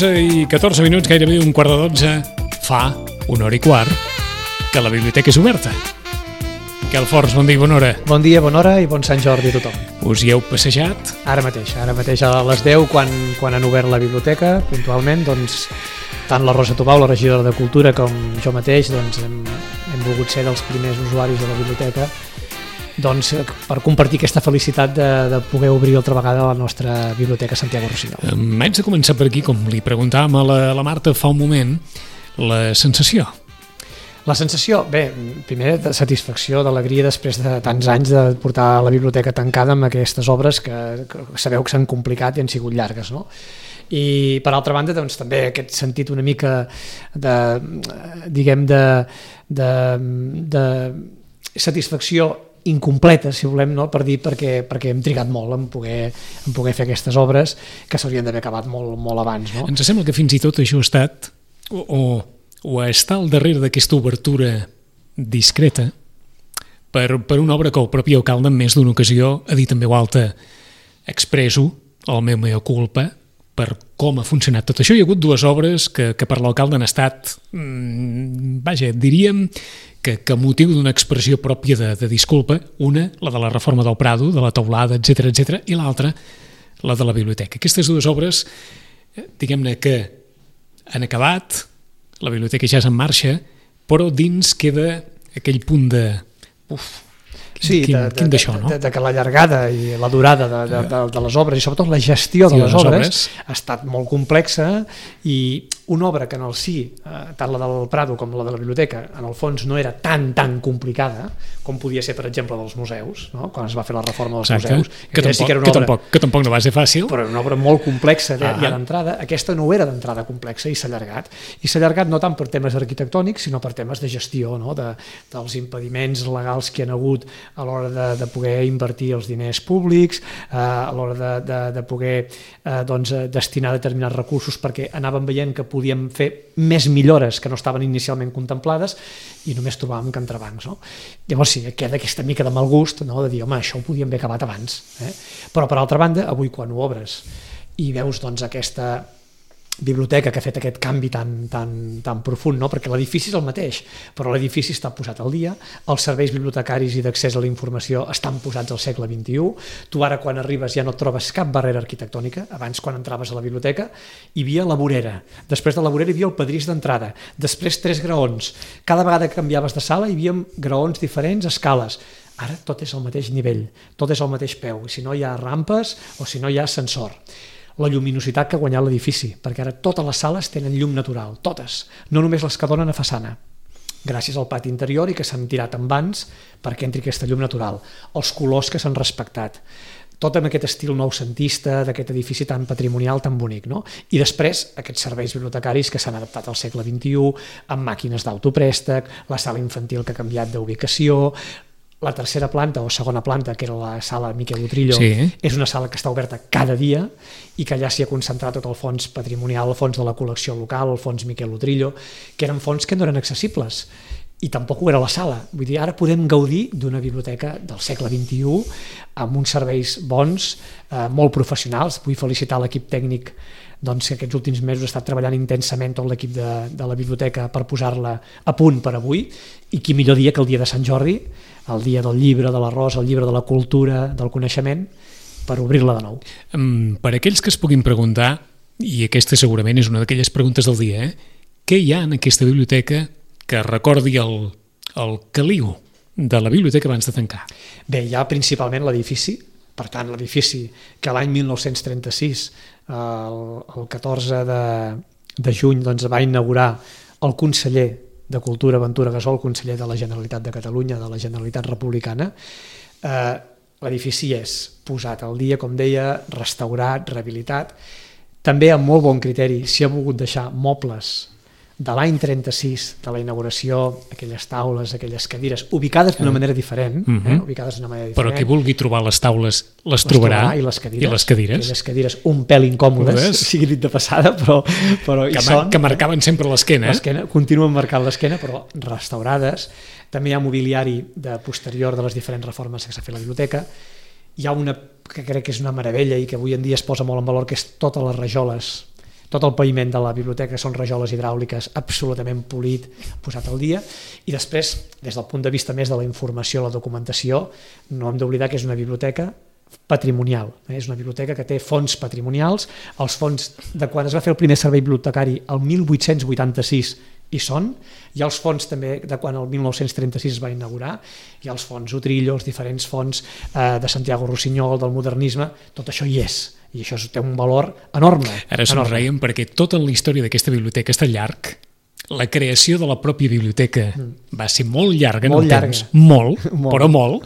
i 14 minuts, gairebé un quart de 12, fa una hora i quart que la biblioteca és oberta. Miquel Forns, bon dia i bona hora. Bon dia, bona hora i bon Sant Jordi a tothom. Us hi heu passejat? Ara mateix a les 10, quan han obert la biblioteca, puntualment, doncs, tant la Rosa Tobau, la regidora de Cultura, com jo mateix, doncs, hem volgut ser dels primers usuaris de la biblioteca, doncs, per compartir aquesta felicitat de poder obrir altra vegada la nostra biblioteca Santiago Rossinyol. Haig de començar per aquí, com li preguntàvem a la Marta fa un moment, la sensació. La sensació, bé, primer de satisfacció, d'alegria després de tants anys de portar la biblioteca tancada amb aquestes obres que sabeu que s'han complicat i han sigut llargues, no? I per altra banda, doncs, també aquest sentit una mica de, diguem, de satisfacció incompleta, si volem, no? Per dir, perquè hem trigat molt en poder fer aquestes obres que s'haurien d'haver acabat molt abans, no? Ens sembla que fins i tot això ha estat o està al darrere d'aquesta obertura discreta per una obra que el propi alcalde en més d'una ocasió ha dit en veu alta: expresso el meu mea culpa per com ha funcionat tot això. Hi ha hagut dues obres que per l'alcalde han estat, diríem que motiu d'una expressió pròpia de disculpa. Una, la de la reforma del Prado, de la teulada, etc, i l'altra, la de la biblioteca. Aquestes dues obres, diguem-ne que han acabat, la biblioteca ja és en marxa, però dins queda aquell punt de... Sí, quin d'això, no? De que la llargada i la durada de les obres i sobretot la gestió de les obres ha estat molt complexa, i una obra que en el si, tant la del Prado com la de la biblioteca, en el fons no era tan complicada com podia ser, per exemple, dels museus, no? Quan es va fer la reforma dels museus, que tampoc no va ser fàcil, però era una obra molt complexa ja d'entrada. Aquesta no era d'entrada complexa i s'ha allargat no tant per temes arquitectònics sinó per temes de gestió, no? Dels impediments legals que hi ha hagut a l'hora de poder invertir els diners públics, a l'hora de poder destinar determinats recursos, perquè anàvem veient que podíem fer més millores que no estaven inicialment contemplades i només trobàvem que entrebancs, no? Llavors sí, queda aquesta mica de mal gust, no? De dir, home, això ho podíem haver acabat abans, Però per altra banda, avui quan ho obres i veus doncs aquesta biblioteca que ha fet aquest canvi tan profund, no? Perquè l'edifici és el mateix, però l'edifici està posat al dia, els serveis bibliotecaris i d'accés a la informació estan posats al segle XXI, tu ara quan arribes ja no trobes cap barrera arquitectònica. Abans, quan entraves a la biblioteca, hi havia la vorera, després de la vorera hi havia el pedrís d'entrada, després 3 graons, cada vegada que canviaves de sala hi havia graons diferents, escales. Ara tot és al mateix nivell, tot és al mateix peu, si no hi ha rampes o si no hi ha ascensor. La lluminositat que ha guanyat l'edifici, perquè ara totes les sales tenen llum natural, totes, no només les que donen a façana, gràcies al pati interior i que s'han tirat en vans perquè entri aquesta llum natural, els colors que s'han respectat, tot amb aquest estil noucentista d'aquest edifici tan patrimonial, tan bonic, no? I després aquests serveis bibliotecaris que s'han adaptat al segle XXI, amb màquines d'autoprèstec, la sala infantil que ha canviat d'ubicació, la tercera planta o segona planta, que era la sala Miquel Utrillo, és una sala que està oberta cada dia i que allà s'hi ha concentrat tot el fons patrimonial, el fons de la col·lecció local, el fons Miquel Utrillo, que eren fons que no eren accessibles i tampoc ho era la sala. Vull dir, ara podem gaudir d'una biblioteca del segle XXI amb uns serveis bons, molt professionals. Vull felicitar l'equip tècnic doncs, que aquests últims mesos ha estat treballant intensament tot l'equip de la biblioteca per posar-la a punt per avui, i qui millor dia que el dia de Sant Jordi, el dia del llibre, de l'arròs, el llibre de la cultura, del coneixement, per obrir-la de nou. Per aquells que es puguin preguntar, i aquesta segurament és una d'aquelles preguntes del dia, què hi ha en aquesta biblioteca que recordi el caliu de la biblioteca abans de tancar? Bé, hi ha principalment l'edifici, per tant l'edifici que l'any 1936, el 14 de juny, doncs, va inaugurar el conseller de Cultura Ventura Gasol, conseller de la Generalitat de Catalunya, de la Generalitat Republicana. L'edifici és posat al dia, com deia, restaurat, rehabilitat. També amb molt bon criteri s'hi ha volgut deixar mobles de l'any 36, de la inauguració, aquelles taules, aquelles cadires, ubicades d'una manera diferent. Ubicades d'una manera diferent. Però qui vulgui trobar les taules les trobarà. I les cadires. I les cadires. Aquelles cadires un pèl incòmodes, sigui dit de passada, però que marcaven sempre l'esquena. L'esquena, continuen marcant l'esquena, però restaurades. També hi ha mobiliari de posterior de les diferents reformes que s'ha fet a la biblioteca. Hi ha una que crec que és una meravella i que avui en dia es posa molt en valor, que és totes les rajoles, tot el paviment de la biblioteca són rajoles hidràuliques absolutament polit, posat al dia. I després, des del punt de vista més de la informació, la documentació, no hem d'oblidar que és una biblioteca patrimonial. És una biblioteca que té fons patrimonials. Els fons de quan es va fer el primer servei bibliotecari el 1886 hi són. Hi ha els fons també de quan el 1936 es va inaugurar. Hi ha els fons Utrillo, els diferents fons de Santiago Rossinyol, del modernisme. Tot això hi és. I això té un valor enorme. Ara somreiem perquè tota la història d'aquesta biblioteca està llarg. La creació de la pròpia biblioteca va ser molt llarga en el temps. Molt, però molt.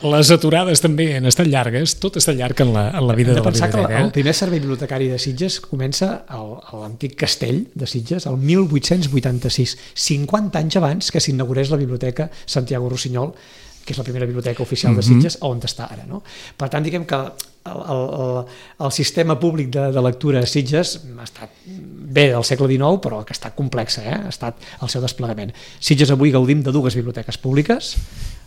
Les aturades també han estat llargues. Tot està llarg en la vida de la biblioteca. Que el primer servei bibliotecari de Sitges comença a l'antic castell de Sitges el 1886, 50 anys abans que s'inaugurés la biblioteca Santiago Rossinyol, que és la primera biblioteca oficial de Sitges, on està ara. No? Per tant, diguem que el sistema públic de lectura a Sitges ha estat bé del segle XIX, però que ha estat complexa, ha estat el seu desplegament. Sitges avui gaudim de dues biblioteques públiques,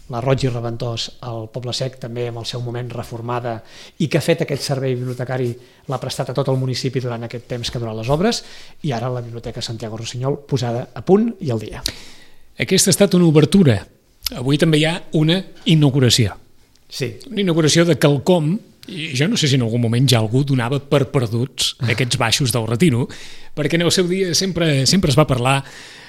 la Roig i Reventós, al Poble Sec, també en el seu moment reformada, i que ha fet aquest servei bibliotecari, l'ha prestat a tot el municipi durant aquest temps que ha durat les obres, i ara la Biblioteca Santiago Rossinyol posada a punt i al dia. Aquesta ha estat una obertura. Avui també hi ha una inauguració. Sí. Una inauguració de quelcom, i jo no sé si en algun moment ja algú donava per perduts aquests baixos del Retiro, perquè en el seu dia sempre es va parlar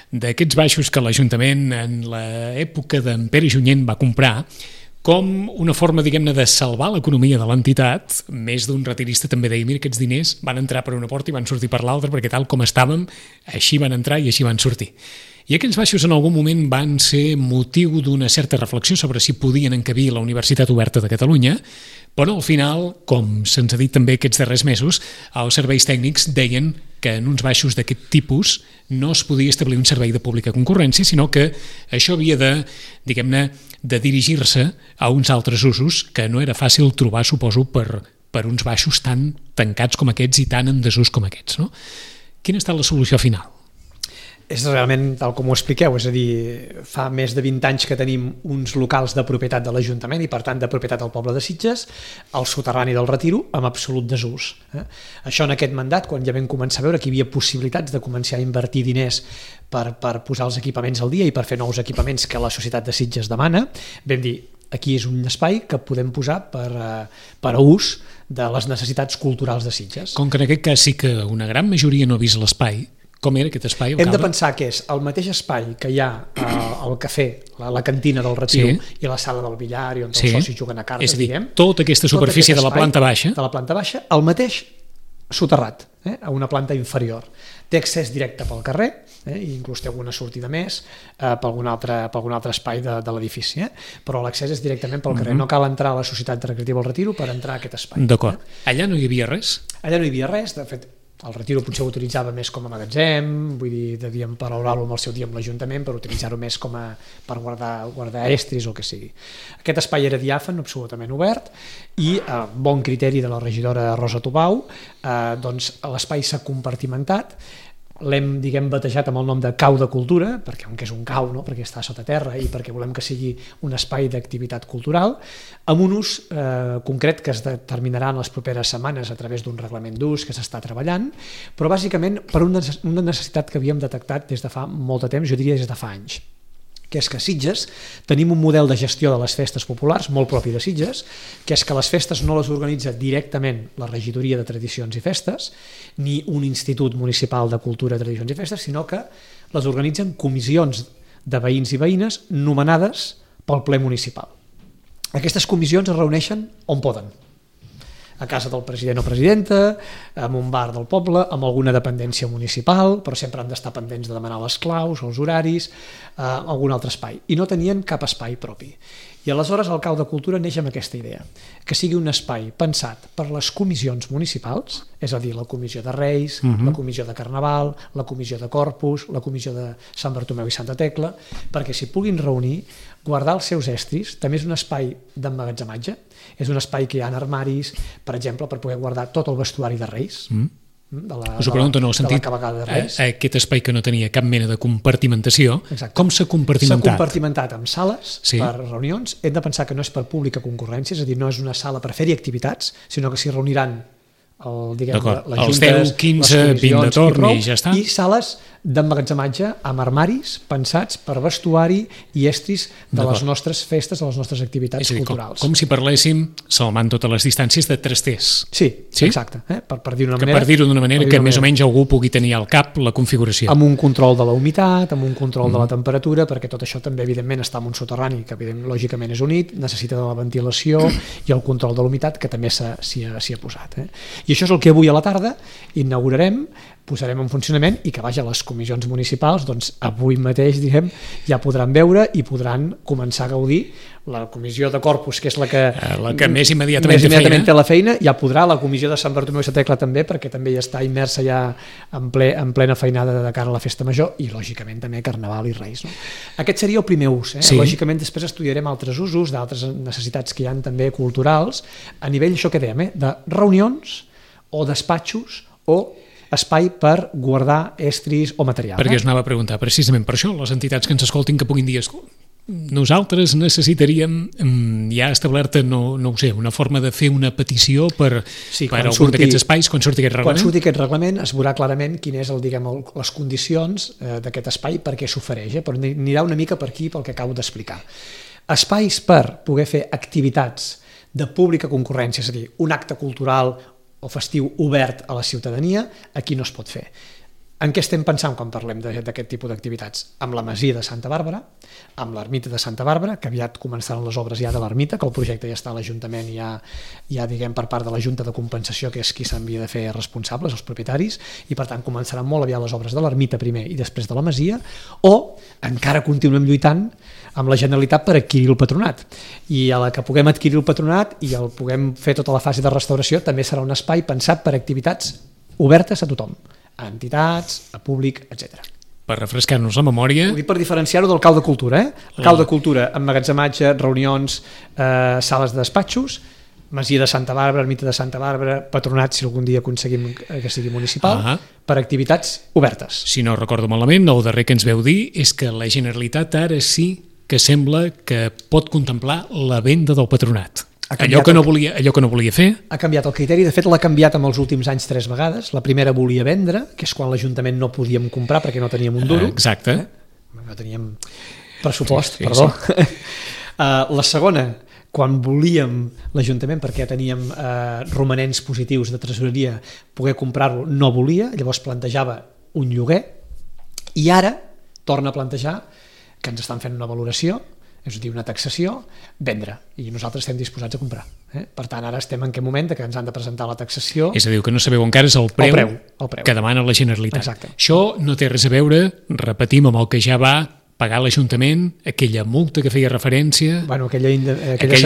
d'aquests baixos que l'Ajuntament en l'època d'en Pere Junyent va comprar com una forma, diguem-ne, de salvar l'economia de l'entitat. Més d'un retirista també deia, mira, aquests diners van entrar per una porta i van sortir per l'altra, perquè tal com estàvem, així van entrar i així van sortir. I aquells baixos en algun moment van ser motiu d'una certa reflexió sobre si podien encabir la Universitat Oberta de Catalunya, però al final, com se'ns ha dit també aquests darrers mesos, els serveis tècnics deien que en uns baixos d'aquest tipus no es podia establir un servei de pública concurrència, sinó que això havia de, diguem-ne, de dirigir-se a uns altres usos que no era fàcil trobar, suposo, per uns baixos tan tancats com aquests i tan en desús com aquests. No? Quina ha estat la solució final? És realment tal com ho expliqueu, és a dir, fa més de 20 anys que tenim uns locals de propietat de l'Ajuntament i per tant de propietat del poble de Sitges, al soterrani del Retiro, amb absolut desús. Això en aquest mandat, quan ja vam començar a veure que hi havia possibilitats de començar a invertir diners per posar els equipaments al dia i per fer nous equipaments que la societat de Sitges demana, vam dir, aquí és un espai que podem posar per a ús de les necessitats culturals de Sitges. Com que en aquest cas sí que una gran majoria no ha vist l'espai, com era aquest espai? Hem de pensar que és el mateix espai que hi ha al cafè, la cantina del Retiro, i la sala del billar i on els socis juguen a cartes, és a dir, tota aquesta superfície de la planta baixa, el mateix soterrat, a una planta inferior. Té accés directe pel carrer, i inclús té alguna sortida més per algun altre espai de l'edifici, però l'accés és directament pel carrer. No cal entrar a la Societat Recreativa del Retiro per entrar a aquest espai. D'acord. Allà no hi havia res? Allà no hi havia res, de fet, el Retiro potser ho utilitzava més com a magatzem, vull dir, devíem paraular-lo amb el seu dia amb l'Ajuntament per utilitzar-ho més per guardar estris o el que sigui. Aquest espai era diàfan, absolutament obert, i a bon criteri de la regidora Rosa Tubau, doncs l'espai s'ha compartimentat, l'hem, diguem, batejat amb el nom de Cau de Cultura, perquè aunque és un cau, no? Perquè està sota terra i perquè volem que sigui un espai d'activitat cultural, amb un ús concret que es determinarà en les properes setmanes a través d'un reglament d'ús que s'està treballant, però bàsicament per una necessitat que havíem detectat des de fa molt de temps, jo diria des de fa anys, que és que a Sitges tenim un model de gestió de les festes populars molt propi de Sitges, que és que les festes no les organitza directament la Regidoria de Tradicions i Festes ni un institut municipal de cultura, tradicions i festes, sinó que les organitzen comissions de veïns i veïnes nomenades pel ple municipal. Aquestes comissions es reuneixen on poden, a casa del president o presidenta, en un bar del poble, amb alguna dependència municipal, però sempre han d'estar pendents de demanar les claus, els horaris, algun altre espai. I no tenien cap espai propi. I aleshores el Cau de Cultura neix amb aquesta idea, que sigui un espai pensat per les comissions municipals, és a dir, la comissió de Reis, la comissió de Carnaval, la comissió de Corpus, la comissió de Sant Bartomeu i Santa Tecla, perquè s'hi puguin reunir, guardar els seus estris, també és un espai d'emmagatzematge, és un espai que hi ha armaris, per exemple, per poder guardar tot el vestuari de Reis, us ho pregunto en el sentit, aquest espai que no tenia cap mena de compartimentació, com s'ha compartimentat? S'ha compartimentat amb sales per reunions. Hem de pensar que no és per pública concurrència, és a dir, no és una sala per fer-hi activitats, sinó que s'hi reuniran les juntes, 10, 15, 20 de torn i ja està. I sales d'emmagatzematge amb armaris pensats per vestuari i estris de les nostres festes, de les nostres activitats culturals. Com si parléssim, salvant totes les distàncies, de trasters. Sí, exacte. Per dir-ho d'una manera que més o menys algú pugui tenir al cap la configuració. Amb un control de la humitat, amb un control de la temperatura, perquè tot això també, evidentment, està en un soterrani que, lògicament, és unit, necessita de la ventilació i el control de la humitat, que també s'hi ha posat. I això és el que avui a la tarda inaugurarem, posarem en funcionament i que, vaja, les comissions municipals, doncs avui mateix, diguem, ja podran veure i podran començar a gaudir. La comissió de Corpus, que és la que més immediatament té la feina, ja podrà, la comissió de Sant Bartomeu i Santa Tecla també, perquè també ja està immersa ja en plena feinada de cara a la festa major i, lògicament, també Carnaval i Reis. No? Aquest seria el primer ús. Lògicament, després estudiarem altres usos d'altres necessitats que hi ha també culturals, a nivell, això que dèiem, de reunions o despatxos o espai per guardar estris o material. Perquè us anava a preguntar, precisament per això, les entitats que ens escoltin que puguin dir nosaltres necessitaríem ja establerta, no ho sé, una forma de fer una petició per algun d'aquests espais quan surti aquest reglament? Quan surti aquest reglament es veurà clarament quines són les condicions d'aquest espai perquè s'ofereix, però anirà una mica per aquí pel que acabo d'explicar. Espais per poder fer activitats de pública concurrència, és a dir, un acte cultural o festiu obert a la ciutadania, aquí no es pot fer. En què estem pensant quan parlem d'aquest tipus d'activitats? Amb la Masia de Santa Bàrbara, amb l'Ermita de Santa Bàrbara, que aviat començaran les obres ja de l'Ermita, que el projecte ja està a l'Ajuntament, ja diguem per part de la Junta de Compensació, que és qui s'havia de fer responsables, els propietaris, i per tant començaran molt aviat les obres de l'Ermita primer i després de la Masia, o encara continuem lluitant amb la Generalitat per adquirir el patronat. I a la que puguem adquirir el patronat i el puguem fer tota la fase de restauració, també serà un espai pensat per activitats obertes a tothom, a entitats, a públic, etc. Per refrescar-nos la memòria... Ho dic per diferenciar-ho del Cau de Cultura. El Cau de Cultura, emmagatzematge, reunions, sales de despatxos, Masia de Santa Bàrbara, Ermita de Santa Bàrbara, patronat, si algun dia aconseguim que sigui municipal, per activitats obertes. Si no recordo malament, el darrer que ens veu dir és que la Generalitat ara sí que sembla que pot contemplar la venda del patronat. Allò que no volia fer. Ha canviat el criteri, de fet l'ha canviat en els últims anys 3 vegades. La primera volia vendre, que és quan l'Ajuntament no podíem comprar perquè no teníem un duro. Exacte. No teníem pressupost, perdó. La segona, quan volíem l'Ajuntament, perquè teníem romanents positius de tresoreria, poder comprar-lo, no volia, llavors plantejava un lloguer, i ara torna a plantejar que ens estan fent una valoració, és a dir, una taxació, vendre, i nosaltres estem disposats a comprar. Per tant, ara estem en aquest moment que ens han de presentar la taxació. És a dir, que no sabeu encara és el preu que demana la Generalitat. Exacte. Això no té res a veure, repetim, amb el que ja va pagar l'Ajuntament, aquella multa que feia referència... Aquella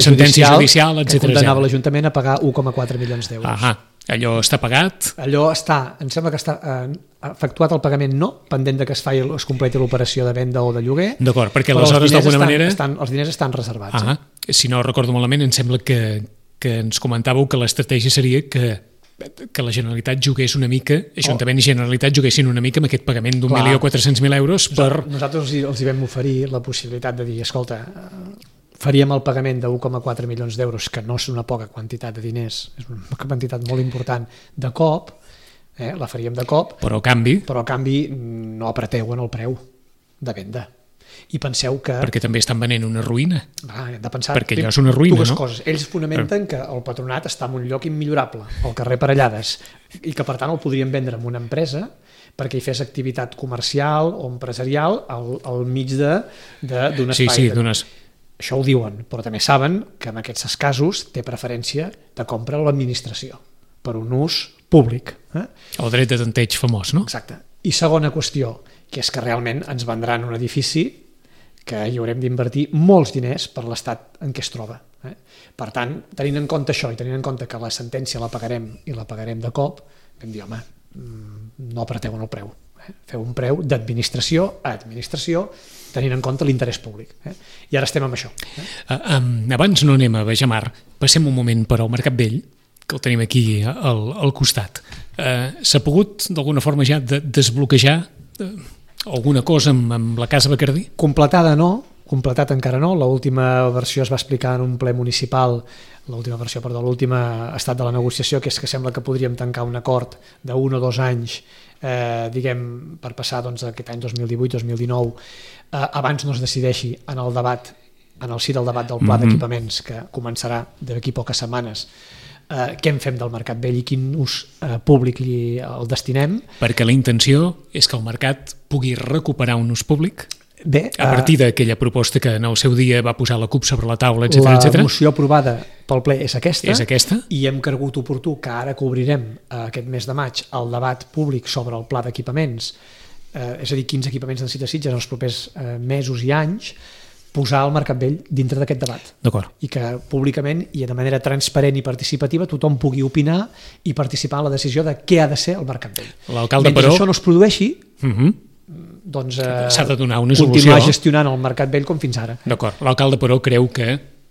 sentència judicial que condemnava l'Ajuntament a pagar 1,4 milions d'euros. Allò està pagat? Allò està, em sembla que està efectuat el pagament, no, pendent de que es completi l'operació de venda o de lloguer. D'acord, perquè aleshores d'alguna manera... Els diners estan reservats. Si no recordo malament, em sembla que ens comentàveu que l'estratègia seria que que la Generalitat jugués una mica, Ajuntament i Generalitat juguessin una mica amb aquest pagament d'1.400.000 euros per... Nosaltres els hi vam oferir la possibilitat de dir, escolta, faríem el pagament de 1,4 milions d'euros, que no és una poca quantitat de diners, és una quantitat molt important, de cop, la faríem de cop, però a canvi no apreteu en el preu de venda. I penseu que... Perquè també estan venent una ruïna. Hem de pensar perquè allò és una ruïna, dues coses. Ells fonamenten que el patronat està en un lloc immillorable, al carrer Parellades, i que per tant el podrien vendre en una empresa perquè hi fes activitat comercial o empresarial al mig d'un espai. Sí, d'unes... Això ho diuen, però també saben que en aquests casos té preferència de compra l'administració per un ús públic. El dret de tanteig famós, no? Exacte. I segona qüestió, que és que realment ens vendran un edifici que hi haurem d'invertir molts diners per l'estat en què es troba. Per tant, tenint en compte això i tenint en compte que la sentència la pagarem i la pagarem de cop, vam dir, home, no apreteu en el preu. Feu un preu d'administració a administració, tenint en compte l'interès públic. I ara estem amb això. Abans no anem a Bajamar, passem un moment per al Mercat Vell, que el tenim aquí al costat. S'ha pogut d'alguna forma ja desbloquejar alguna cosa amb la Casa Bacardí? Completada no, completat encara no. L'última versió es va explicar en un ple municipal, l'últim estat de la negociació, que és que sembla que podríem tancar un acord d'1 o 2 anys, diguem, per passar aquest any 2018-2019, abans no es decideixi en el debat, en el si del debat del pla d'equipaments, que començarà d'aquí poques setmanes, què en fem del Mercat Vell i quin ús públic el destinem. Perquè la intenció és que el mercat pugui recuperar un ús públic? Bé, a partir d'aquella proposta que en el seu dia va posar la CUP sobre la taula, etc. La moció aprovada pel ple és aquesta. És aquesta. I hem cregut oportú que ara que obrirem aquest mes de maig el debat públic sobre el pla d'equipaments, és a dir, quins equipaments necessita Sitges en els propers mesos i anys, posar el Mercat Vell dintre d'aquest debat. D'acord. I que públicament i de manera transparent i participativa tothom pugui opinar i participar en la decisió de què ha de ser el Mercat Vell. L'alcalde, mentre però... això no es produeixi, doncs s'ha de donar una solució. Continuar gestionant el Mercat Vell com fins ara. D'acord. L'alcalde, però, creu que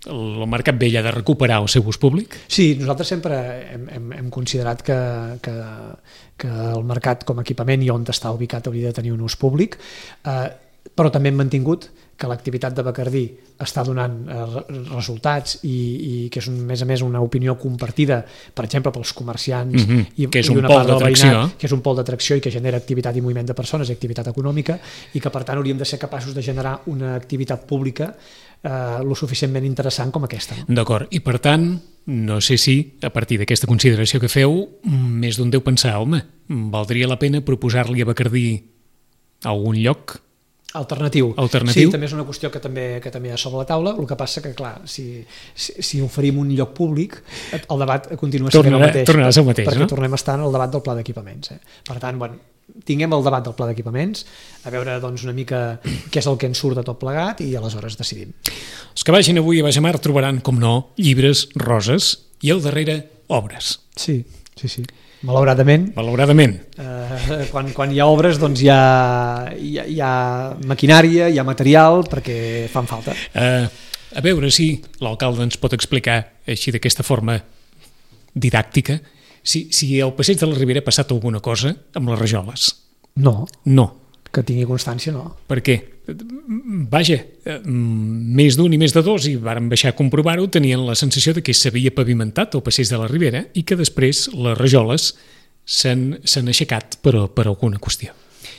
el Mercat Vell ha de recuperar el seu ús públic? Sí, nosaltres sempre hem considerat que el mercat com a equipament i on està ubicat hauria de tenir un ús públic, però també hem mantingut que l'activitat de Bacardí està donant resultats i que és, a més, una opinió compartida, per exemple, pels comerciants que és un pol d'atracció, que és un pol d'atracció i que genera activitat i moviment de persones i activitat econòmica, i que per tant hauríem de ser capaços de generar una activitat pública lo suficientment interessant com aquesta. D'acord, i per tant, no sé si, a partir d'aquesta consideració que feu, més d'un deu pensar, home, valdria la pena proposar-li a Bacardí algun lloc alternatiu. Sí, també és una qüestió que també hi ha sobre la taula. El que passa que, clar, si oferim un lloc públic, el debat continua sent el mateix. Tornarà a ser el mateix, perquè no? Tornem a estar en el debat del pla d'equipaments. Per tant, tinguem el debat del pla d'equipaments, a veure una mica què és el que ens surt de tot plegat i aleshores decidim. Els que vagin avui a Bajamar trobaran, com no, llibres, roses i al darrere obres. Sí. Malauradament. Quan hi ha obres, doncs hi ha maquinària, hi ha material, perquè fan falta. A veure si l'alcalde ens pot explicar, així d'aquesta forma didàctica, si al passeig de la Ribera ha passat alguna cosa amb les rajoles. No. Que tingui constància, no. Per què? Vaja, més d'un i més de dos, i varen baixar a comprovar-ho, tenien la sensació de que s'havia pavimentat el passeig de la Ribera i que després les rajoles s'han aixecat per alguna qüestió.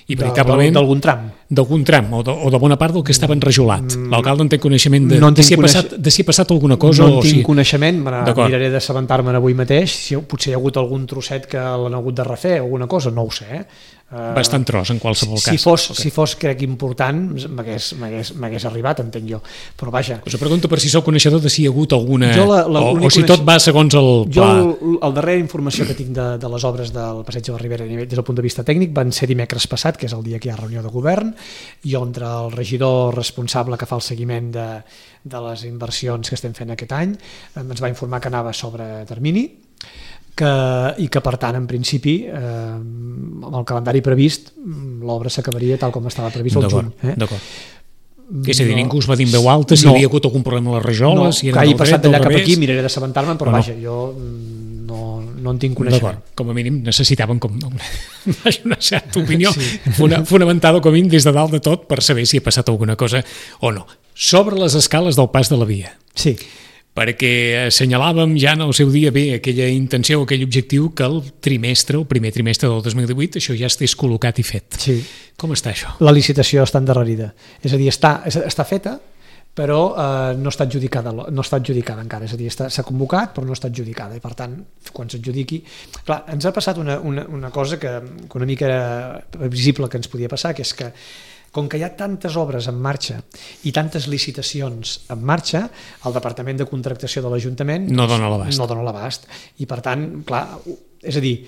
I veritablement... D'algun tram. D'algun tram, o de bona part del que estava enrajolat. L'alcalde en té coneixement de si ha passat alguna cosa? No en tinc coneixement, miraré d'assabentar-me'n avui mateix, potser hi ha hagut algun trosset que l'han hagut de refer, alguna cosa, no ho sé, bastant tros en qualsevol cas. Si fos, crec, important, m'hagués arribat, entenc jo. Però vaja... Us pregunto per si sou coneixedor de si hi ha hagut alguna... o si tot va segons el pla. Jo, el darrera informació que tinc de les obres del Passeig de la Ribera des del punt de vista tècnic van ser dimecres passat, que és el dia que hi ha reunió de govern, i on el regidor responsable que fa el seguiment de les inversions que estem fent aquest any ens va informar que anava sobre termini, i que per tant en principi amb el calendari previst l'obra s'acabaria tal com estava previst el juny. D'acord. És a dir, ningú us va dir en veu alta si hi havia hagut algun problema a les rajoles? No, que hagi passat d'allà cap aquí, miraré d'assabentar-me'n, però vaja, jo no en tinc coneixement. D'acord, com a mínim necessitàvem una certa opinió fonamentada com a mínim des de dalt de tot per saber si ha passat alguna cosa o no. Sobre les escales del pas de la via. Sí. Perquè assenyalàvem ja en el seu dia bé aquella intenció, aquell objectiu que el primer trimestre del 2018 això ja estés col·locat i fet. Sí. Com està això? La licitació està endarrerida. És a dir, està feta, però no està adjudicada encara. És a dir, s'ha convocat però no està adjudicada i per tant, quan s'adjudiqui... Clar, ens ha passat una cosa que una mica era previsible que ens podia passar, que és que com que hi ha tantes obres en marxa i tantes licitacions en marxa, el Departament de Contractació de l'Ajuntament no dona l'abast. I per tant, clar, és a dir,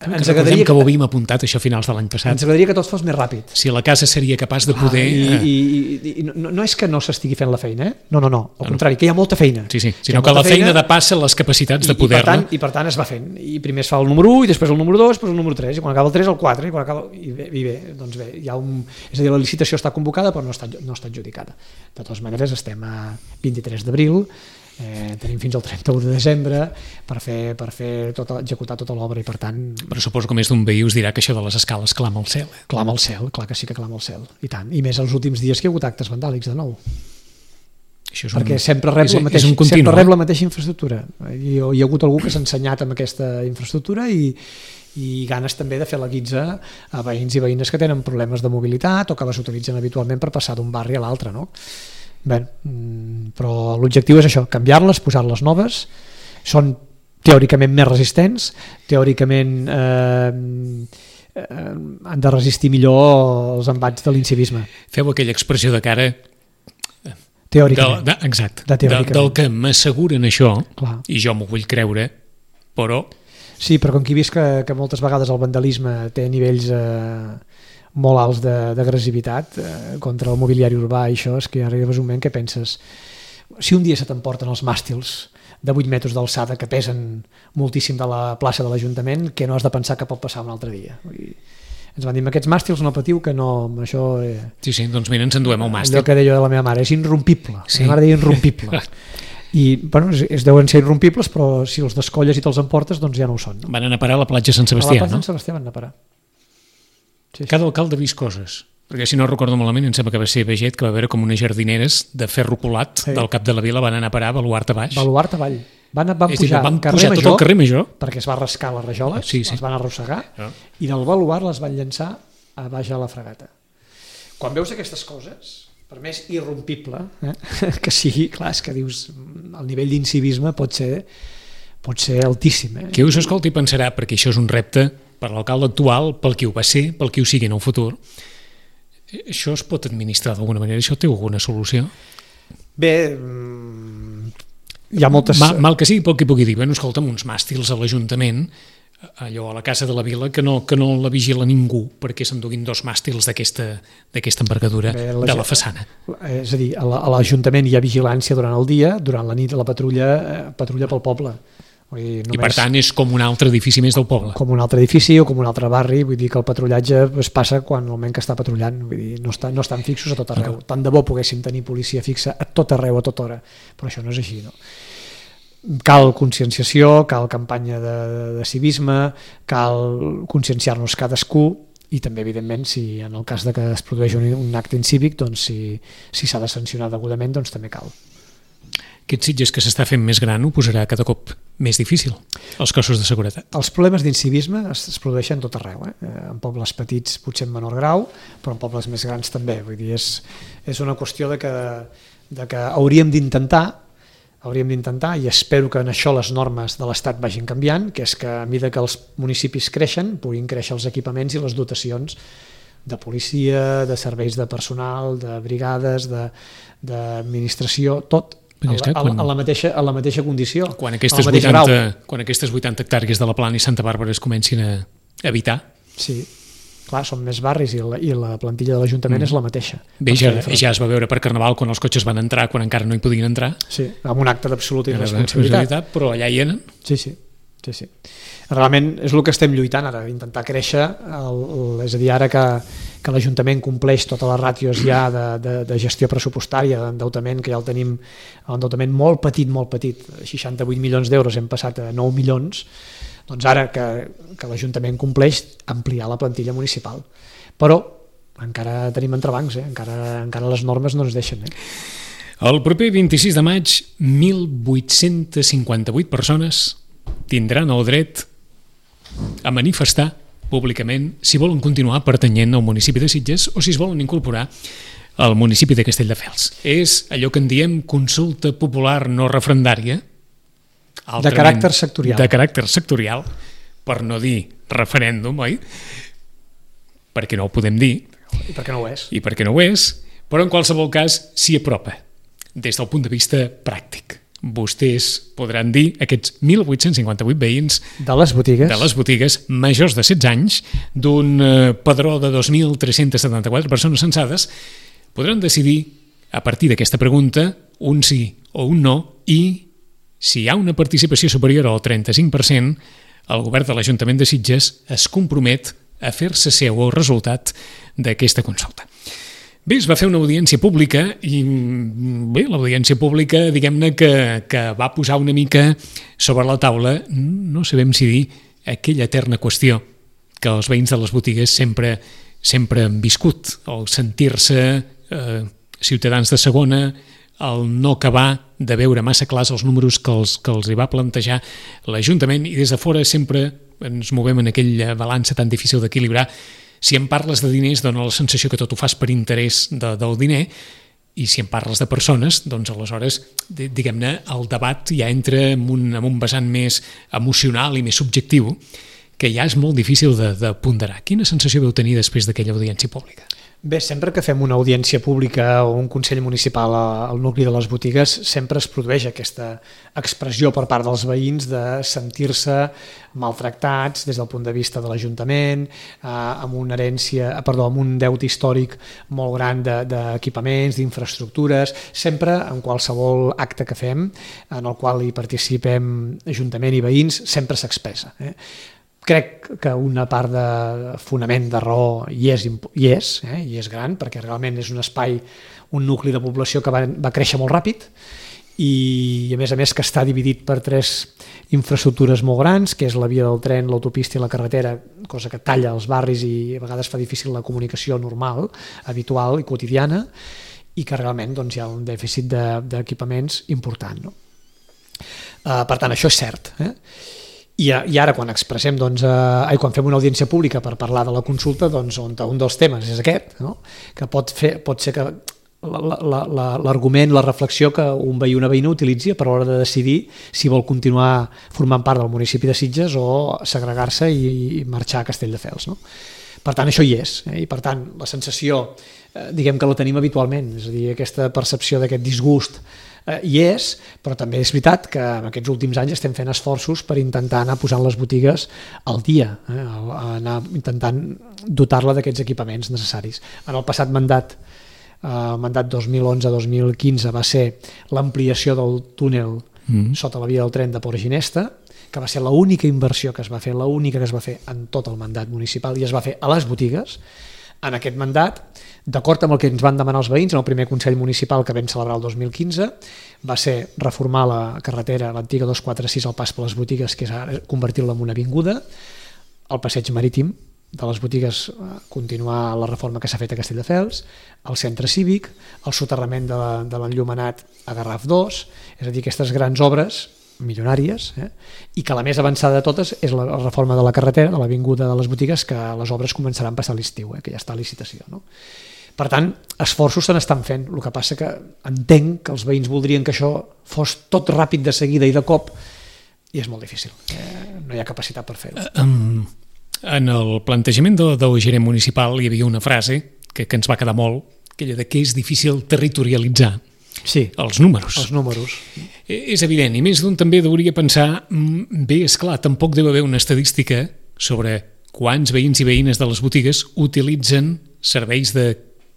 ens agradaria que ho havíem apuntat això a finals de l'any passat. Ens agradaria que tot fos més ràpid. Si la casa seria capaç de poder... I no és que no s'estigui fent la feina, No. Al contrari, que hi ha molta feina. Sí, sinó que la feina depassa les capacitats de poder-la. I per tant es va fent. I primer es fa el número 1, i després el número 2, després el número 3, i quan acaba el 3 el 4, i bé, doncs bé, hi ha és a dir, la licitació està convocada però no està adjudicada. De totes maneres estem a 23 d'abril, tenim fins al 31 de desembre per executar tota l'obra i per tant... Però suposo que més d'un veí us dirà que això de les escales clama al cel. Clama al cel, clar que sí que clama al cel, i tant. I més els últims dies que hi ha hagut actes vandàlics de nou. Perquè sempre rep la mateixa infraestructura. Hi ha hagut algú que s'ha ensenyat amb aquesta infraestructura i ganes també de fer la guitza a veïns i veïnes que tenen problemes de mobilitat o que les utilitzen habitualment per passar d'un barri a l'altre, no? Bé, però l'objectiu és això, canviar-les, posar-les noves, són teòricament més resistents, teòricament han de resistir millor els embats de l'incivisme. Feu aquella expressió de cara teòricament. Exacte, del que m'asseguren això, clar. I jo m'ho vull creure, però... Sí, però com que he vist que moltes vegades el vandalisme té nivells molt alts d'agressivitat contra el mobiliari urbà i això, és que arribes un moment que penses si un dia se t'emporten els màstils de 8 metres d'alçada que pesen moltíssim de la plaça de l'Ajuntament, que no has de pensar que pot passar un altre dia. Ens van dir, aquests màstils no patiu, que no, això... Sí, doncs mira, ens enduem el màstil. Allò que deia la meva mare, és irrompible. La meva mare deia irrompible. I, bueno, es deuen ser irrompibles, però si els descolles i te'ls emportes, doncs ja no ho són. No? Van anar a parar a la platja Sant Sebastià, no? A la platja Sant Sebastià van anar a parar. Sí. Cada alcalde ha vist coses, perquè si no recordo malament em sembla que va ser Beget, que va veure com unes jardineres de ferro colat del cap de la vila van anar a parar a Baluart a baix. Baluart avall. Van pujar tot el carrer Major perquè es va rascar les rajoles, es van arrossegar i del Baluart les van llançar a baix a la Fregata. Quan veus aquestes coses, per més irrompible que sigui, clar, és que dius el nivell d'incivisme pot ser altíssim. Qui us escolti pensarà, perquè això és un repte per l'alcalde actual, pel qui ho va ser, pel qui ho sigui en el futur. Això es pot administrar d'alguna manera? Això té alguna solució? Bé, hi ha moltes... Mal que sigui, pel que pugui dir, bueno, escolta'm, uns màstils a l'Ajuntament, allò a la Casa de la Vila, que no la vigila ningú perquè s'enduguin 2 màstils d'aquesta envergadura de la façana. És a dir, a l'Ajuntament hi ha vigilància durant el dia, durant la nit la patrulla pel poble. I per tant és com un altre edifici més del poble. Com un altre edifici o com un altre barri, vull dir que el patrullatge es passa quan el moment que està patrullant, vull dir, no estan fixos a tot arreu. Tant de bo poguéssim tenir policia fixa a tot arreu, a tota hora, però això no és així, no? Cal conscienciació, cal campanya de civisme, cal conscienciar-nos cadascú i també, evidentment, si en el cas de que es produeix un acte incívic, doncs si s'ha de sancionar degudament, doncs també cal. Aquest Sitges que s'està fent més gran ho posarà cada cop més difícil, els cossos de seguretat. Els problemes d'incivisme es produeixen tot arreu, en pobles petits potser en menor grau, però en pobles més grans també. Vull dir, és una qüestió de que hauríem d'intentar, i espero que en això les normes de l'Estat vagin canviant, que és que a mesura que els municipis creixen, puguin créixer els equipaments i les dotacions de policia, de serveis de personal, de brigades, d'administració, tot a la mateixa condició. Quan aquestes 80 hectàrees de la Plana i Santa Bàrbara es comencin a habitar. Sí, clar, són més barris i la plantilla de l'Ajuntament és la mateixa. Bé, ja es va veure per Carnaval quan els cotxes van entrar, quan encara no hi podien entrar. Sí, amb un acte d'absoluta irresponsabilitat. Però allà hi eren. Sí. Realment és el que estem lluitant ara, intentar créixer, és a dir, ara que l'Ajuntament compleix totes les ràtios ja de gestió pressupostària, d'endeutament, que ja el tenim, l'endeutament molt petit, 68 milions d'euros, hem passat a 9 milions, Doncs ara que l'Ajuntament compleix, ampliar la plantilla municipal. Però encara tenim entrebancs, encara les normes no ens deixen. El proper 26 de maig, 1.858 persones tindran el dret a manifestar públicament si volen continuar pertanyent al municipi de Sitges o si es volen incorporar al municipi de Castelldefels. És allò que en diem consulta popular no referendària, de caràcter sectorial. De caràcter sectorial, per no dir referèndum, oi? Perquè no ho podem dir. I perquè no ho és. I perquè no ho és, però en qualsevol cas s'hi apropa des del punt de vista pràctic. Vostès podran dir, aquests 1.858 veïns de les botigues majors de 16 anys, d'un padró de 2.374 persones censades, podran decidir, a partir d'aquesta pregunta, un sí o un no, i si hi ha una participació superior al 35%, el govern de l'Ajuntament de Sitges es compromet a fer-se seu el resultat d'aquesta consulta. Bé, es va fer una audiència pública i bé, l'audiència pública, diguem-ne que va posar una mica sobre la taula, no sabem si dir, aquella eterna qüestió que els veïns de les botigues sempre han viscut, el sentir-se ciutadans de segona, el no acabar de veure massa clars els números que els hi va plantejar l'Ajuntament, i des de fora sempre ens movem en aquella balança tan difícil d'equilibrar. Si em parles de diners, dona la sensació que tot ho fas per interès del diner, i si em parles de persones, doncs aleshores, diguem-ne, el debat ja entra en un vessant més emocional i més subjectiu, que ja és molt difícil de ponderar. Quina sensació vau tenir després d'aquella audiència pública? Bé, sempre que fem una audiència pública o un consell municipal al nucli de les botigues, sempre es produeix aquesta expressió per part dels veïns de sentir-se maltractats des del punt de vista de l'Ajuntament, amb un deute històric molt gran d'equipaments, d'infraestructures. Sempre, en qualsevol acte que fem, en el qual hi participem Ajuntament i veïns, sempre s'expressa. Crec que una part de fonament de raó hi és gran, perquè realment és un espai, un nucli de població que va créixer molt ràpid i a més que està dividit per 3 infraestructures molt grans, que és la via del tren, l'autopista i la carretera, cosa que talla els barris i a vegades fa difícil la comunicació normal, habitual i quotidiana, i que realment hi ha un dèficit d'equipaments important. Per tant, això és cert. I ara quan expressem, quan fem una audiència pública per parlar de la consulta, un dels temes és aquest, que pot ser que l'argument, la reflexió que un veí o una veïna utilitzi per l'hora de decidir si vol continuar formant part del municipi de Sitges o segregar-se i marxar a Castelldefels. Per tant, això hi és, i per tant, la sensació, diguem que la tenim habitualment, és a dir, aquesta percepció d'aquest disgust hi és, però també és veritat que en aquests últims anys estem fent esforços per intentar anar posant les botigues al dia, anar intentant dotar-la d'aquests equipaments necessaris. En el passat mandat, el mandat 2011-2015, va ser l'ampliació del túnel sota la via del tren de Port Ginesta, que va ser l'única inversió que es va fer, l'única que es va fer en tot el mandat municipal, i es va fer a les botigues. En aquest mandat, d'acord amb el que ens van demanar els veïns en el primer Consell Municipal que vam celebrar el 2015, va ser reformar la carretera, l'antiga 246, al pas per les botigues, que és ara convertir-la en una avinguda, el passeig marítim de les botigues, continuar la reforma que s'ha fet a Castelldefels, el centre cívic, el soterrament de l'enllumenat a Garraf 2, és a dir, aquestes grans obres milionàries, i que la més avançada de totes és la reforma de la carretera, de l'avinguda de les botigues, que les obres començaran a passar a l'estiu, que ja està a licitació. Per tant, esforços se n'estan fent, el que passa que entenc que els veïns voldrien que això fos tot ràpid de seguida i de cop, i és molt difícil, no hi ha capacitat per fer-ho. En el plantejament del gerent municipal hi havia una frase que ens va quedar molt, aquella de que és difícil territorialitzar els números. Els números. És evident, i més d'un també hauria pensar, bé, esclar, tampoc deu haver una estadística sobre quants veïns i veïnes de les botigues utilitzen serveis de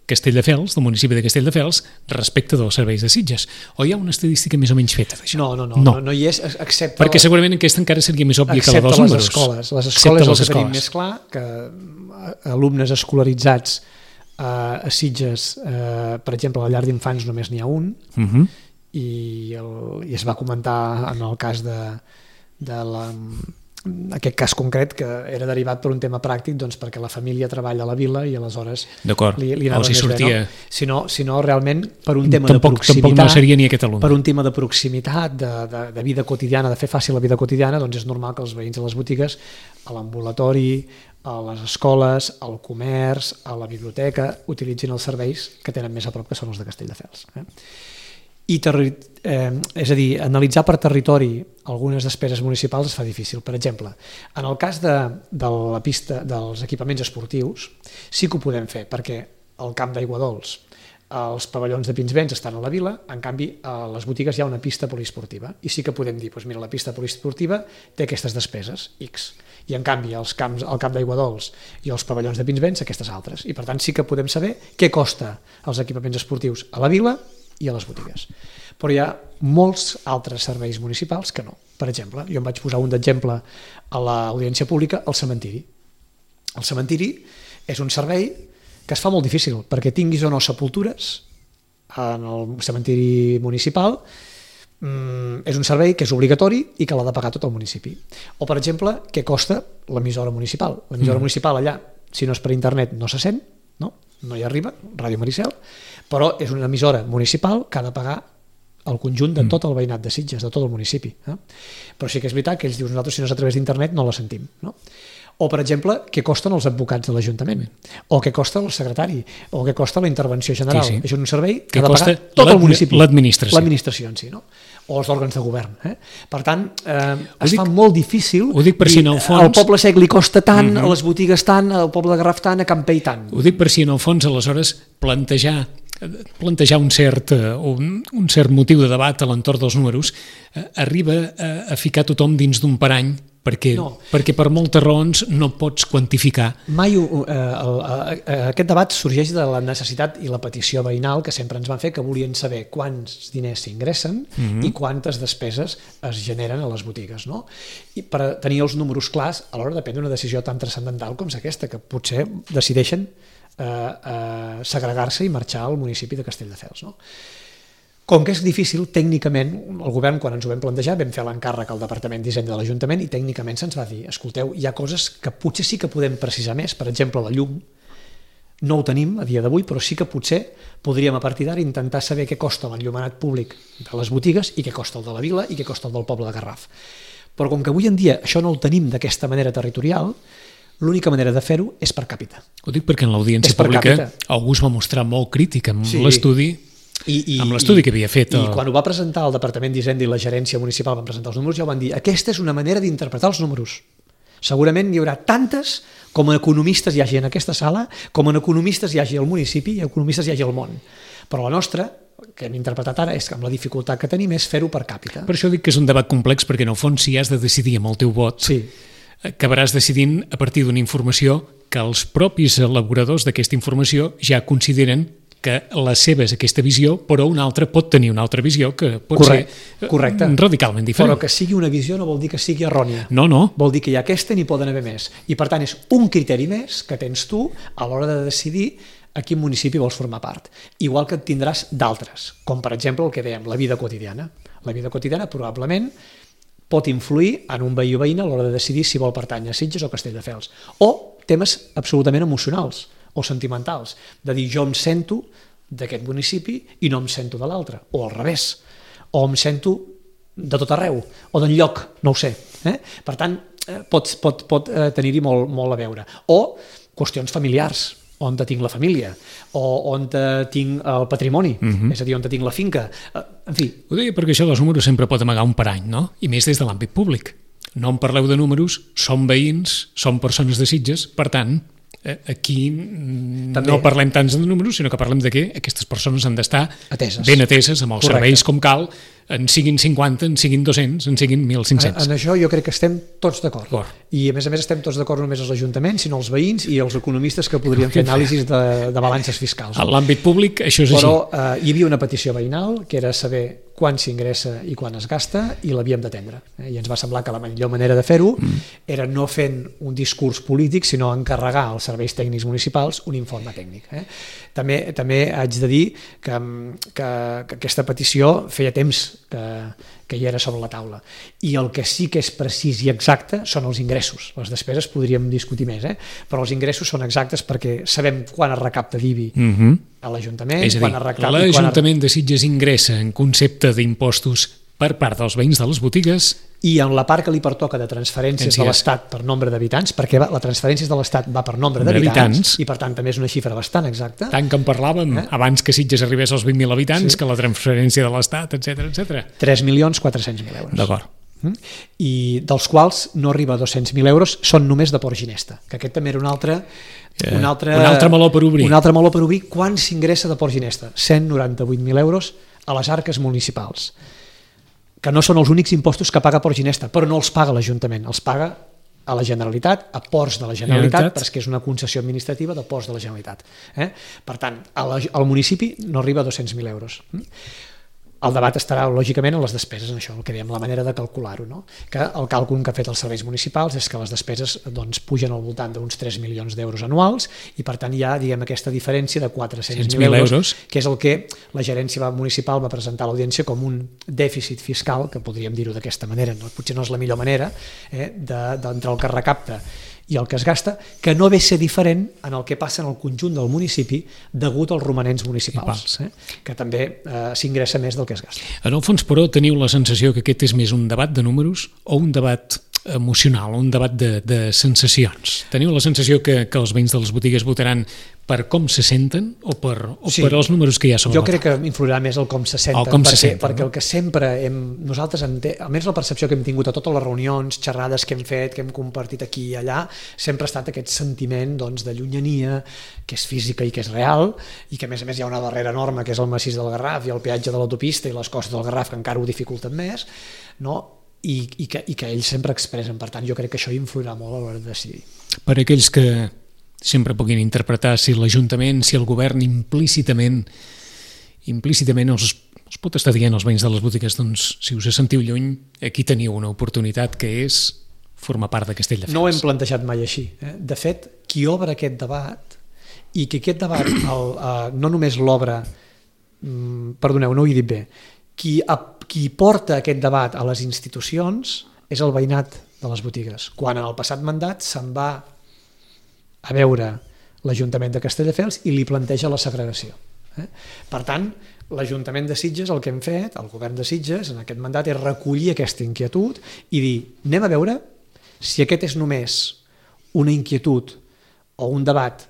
Castelldefels, del municipi de Castelldefels, respecte dels serveis de Sitges. O hi ha una estadística més o menys feta d'això? No hi és, excepte... Perquè segurament aquesta encara seria més òbvia que la dels números. Excepte les escoles és el que tenim més clar, que alumnes escolaritzats a Sitges, per exemple, a la llar d'infants només n'hi ha un, i es va comentar en el cas de aquest cas concret que era derivat per un tema pràctic, doncs perquè la família treballa a la vila i aleshores li anava més bé, no? Si no, realment, per un tema de proximitat, tampoc no seria ni aquest alumne. Per un tema de proximitat, de vida quotidiana, de fer fàcil la vida quotidiana, doncs és normal que els veïns de les botigues, a l'ambulatori, a les escoles, al comerç, a la biblioteca, utilitzin els serveis que tenen més a prop, que són els de Castelldefels. És a dir, analitzar per territori algunes despeses municipals es fa difícil. Per exemple, en el cas de la pista dels equipaments esportius sí que ho podem fer, perquè al camp d'Aiguadols els pavellons de Pinsbens estan a la vila, en canvi a les botigues hi ha una pista poliesportiva i sí que podem dir, doncs mira, la pista poliesportiva té aquestes despeses, X, i en canvi al camp d'Aiguadols i els pavellons de Pinsbens aquestes altres, i per tant sí que podem saber què costa els equipaments esportius a la vila i a les botigues. Però hi ha molts altres serveis municipals que no. Per exemple, jo em vaig posar un d'exemple a l'audiència pública, el cementiri. El cementiri és un servei que es fa molt difícil, perquè tinguis o no sepultures en el cementiri municipal, és un servei que és obligatori i que l'ha de pagar tot el municipi. O, per exemple, què costa l'emissora municipal? L'emissora municipal allà, si no és per internet, no se sent, no hi arriba, Ràdio Maricel, però és una emissora municipal que ha de pagar el conjunt de tot el veïnat de Sitges, de tot el municipi. Però sí que és veritat que ells diuen, nosaltres si no és a través d'internet no la sentim. O, per exemple, què costen els advocats de l'Ajuntament, o què costa el secretari, o què costa la intervenció general. Sí. És un servei que ha de pagar tot el municipi. L'administració en si, o els òrgans de govern. Per tant, es fa molt difícil. Ho dic per si en el fons... Al poble sec li costa tant, a les botigues tant, al poble de Garraf tant, a Campell tant. Ho dic per si en el fons, aleshores, plantejar un cert motiu de debat a l'entorn dels números arriba a ficar tothom dins d'un parany perquè per moltes raons no pots quantificar. Mai aquest debat sorgeix de la necessitat i la petició veïnal que sempre ens van fer, que volien saber quants diners s'ingressen i quantes despeses es generen a les botigues. I per tenir els números clars a l'hora de prendre una decisió tan transcendental com és aquesta, que potser decideixen segregar-se i marxar al municipi de Castelldefels. Com que és difícil, tècnicament, el govern, quan ens ho vam plantejar, vam fer l'encàrrec al Departament d'Hisenda de l'Ajuntament i tècnicament se'ns va dir, escolteu, hi ha coses que potser sí que podem precisar més, per exemple, la llum, no ho tenim a dia d'avui, però sí que potser podríem a partir d'ara intentar saber què costa l'enllumenat públic de les botigues i què costa el de la vila i què costa el del poble de Garraf. Però com que avui en dia això no ho tenim d'aquesta manera territorial, l'única manera de fer-ho és per càpita. Ho dic perquè en l'audiència pública algú es va mostrar molt crític amb l'estudi que havia fet. I quan ho va presentar el Departament d'Hisenda i la gerència municipal van presentar els números, ja ho van dir, aquesta és una manera d'interpretar els números. Segurament n'hi haurà tantes com a economistes hi hagi en aquesta sala, com a economistes hi hagi al municipi i economistes hi hagi al món. Però la nostra, que hem interpretat ara, és que amb la dificultat que tenim és fer-ho per càpita. Per això dic que és un debat complex, perquè en el fons si has de decidir amb el teu vot, acabaràs decidint a partir d'una informació que els propis elaboradors d'aquesta informació ja consideren que la seva és aquesta visió, però un altre pot tenir una altra visió que pot ser radicalment diferent. Però que sigui una visió no vol dir que sigui errònia. No. Vol dir que hi ha aquesta i n'hi poden haver més. I per tant és un criteri més que tens tu a l'hora de decidir a quin municipi vols formar part. Igual que et tindràs d'altres, com per exemple el que dèiem, la vida quotidiana. La vida quotidiana probablement pot influir en un veí o veïna a l'hora de decidir si vol pertànyer a Sitges o Castelldefels. O temes absolutament emocionals o sentimentals, de dir jo em sento d'aquest municipi i no em sento de l'altre, o al revés, o em sento de tot arreu, o d'enlloc, no ho sé. Per tant, pot tenir-hi molt a veure. O qüestions familiars, on tinc la família, o on tinc el patrimoni, és a dir, on tinc la finca, en fi. Ho deia perquè això dels números sempre pot amagar un parany, no? I més des de l'àmbit públic. No em parleu de números, som veïns, som persones de Sitges, per tant, aquí no parlem tant de números, sinó que parlem de que aquestes persones han d'estar ben ateses amb els serveis com cal, en siguin 50, en siguin 200, en siguin 1.500. En això jo crec que estem tots d'acord. I a més estem tots d'acord no només els ajuntaments, sinó els veïns i els economistes que podrien fer anàlisis de balances fiscals. En l'àmbit públic això és així. Però hi havia una petició veïnal que era saber quan s'ingressa i quan es gasta, i l'havíem d'atendre. I ens va semblar que la millor manera de fer-ho era no fent un discurs polític, sinó encarregar als serveis tècnics municipals un informe tècnic. També haig de dir que aquesta petició feia temps que hi era sobre la taula. I el que sí que és precís i exacte són els ingressos. Les despeses podríem discutir més, però els ingressos són exactes perquè sabem quan es recapta d'IBI a l'Ajuntament. És a dir, l'Ajuntament de Sitges ingressa en concepte d'impostos per part dels veïns de les botigues i en la part que li pertoca de transferències de l'Estat per nombre d'habitants, perquè la transferència de l'Estat va per nombre d'habitants i per tant també és una xifra bastant exacta. Tant que en parlàvem abans que Sitges arribés als 20.000 habitants, que la transferència de l'Estat, etc. 3.400.000 euros. D'acord. I dels quals no arriba a 200.000 euros són només de Port Ginesta, que aquest també era un altre meló per obrir. Un altre meló per obrir. Quan s'ingressa de Port Ginesta? 198.000 euros a les arques municipals, que no són els únics impostos que paga Port Ginesta, però no els paga l'Ajuntament, els paga a la Generalitat, a Ports de la Generalitat, perquè és una concessió administrativa de Ports de la Generalitat. Per tant, al municipi no arriba a 200.000 euros. El debat estarà, lògicament, en les despeses, en això, el que dèiem, la manera de calcular-ho, no? Que el càlcul que han fet els serveis municipals és que les despeses pugen al voltant d'uns 3 milions d'euros anuals i, per tant, hi ha, aquesta diferència de 400.000 euros, que és el que la gerència municipal va presentar a l'audiència com un dèficit fiscal, que podríem dir-ho d'aquesta manera, potser no és la millor manera, d'entre el que recapta i el que es gasta, que no ve a ser diferent en el que passa en el conjunt del municipi degut als romanents municipals, que també s'ingressa més del que es gasta. En el fons, però, teniu la sensació que aquest és més un debat de números o un debat emocional, un debat de sensacions? Teniu la sensació que els veïns de les botigues votaran per com se senten o per els números que hi ha sobre la taula? Jo crec que influirà més el com se senten, perquè el que sempre nosaltres, almenys la percepció que hem tingut a totes les reunions, xerrades que hem fet, que hem compartit aquí i allà, sempre ha estat aquest sentiment de llunyania, que és física i que és real, i que a més hi ha una barrera enorme, que és el massís del Garraf i el peatge de l'autopista i les costes del Garraf, que encara ho dificulten més, i que ells sempre expressen. Per tant, jo crec que això influirà molt a l'hora de decidir. Per aquells que sempre puguin interpretar si l'Ajuntament, si el govern implícitament els pot estar dient als veïns de les botigues, doncs si us sentiu lluny, aquí teniu una oportunitat que és formar part de Castelldefels. No ho hem plantejat mai així. De fet, qui obre aquest debat, i que aquest debat no només l'obre, perdoneu, no ho he dit bé, qui porta aquest debat a les institucions és el veïnat de les botigues. Quan en el passat mandat se'n va a veure l'Ajuntament de Castelldefels i li planteja la segregació. Per tant, l'Ajuntament de Sitges, el que hem fet, el govern de Sitges, en aquest mandat, és recollir aquesta inquietud i dir, anem a veure si aquest és només una inquietud o un debat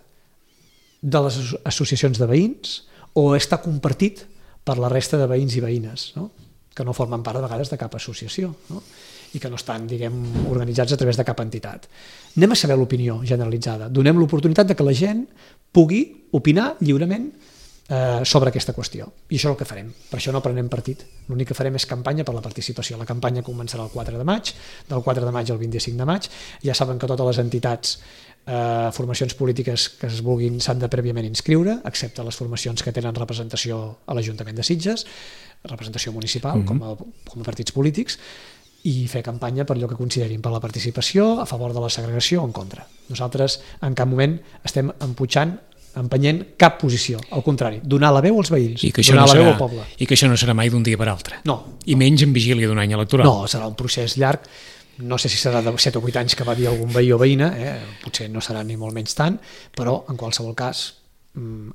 de les associacions de veïns o està compartit per la resta de veïns i veïnes, que no formen part, de vegades, de cap associació, i que no estan, organitzats a través de cap entitat. Anem a saber l'opinió generalitzada. Donem l'oportunitat de que la gent pugui opinar lliurement sobre aquesta qüestió. I això és el que farem. Per això no prenem partit. L'únic que farem és campanya per la participació. La campanya començarà el 4 de maig, del 4 de maig al 25 de maig. Ja saben que totes les entitats, formacions polítiques que es vulguin s'han de prèviament inscriure, excepte les formacions que tenen representació a l'Ajuntament de Sitges, representació municipal, com a partits polítics, i fer campanya per allò que considerin, per la participació, a favor de la segregació o en contra. Nosaltres en cap moment estem empenyent cap posició, al contrari, donar la veu als veïns, donar la veu al poble. I que això no serà mai d'un dia per altre. No. I menys en vigília d'un any electoral. No, serà un procés llarg, no sé si serà de 7 o 8 anys que va dir algun veí o veïna, potser no serà ni molt menys tant, però en qualsevol cas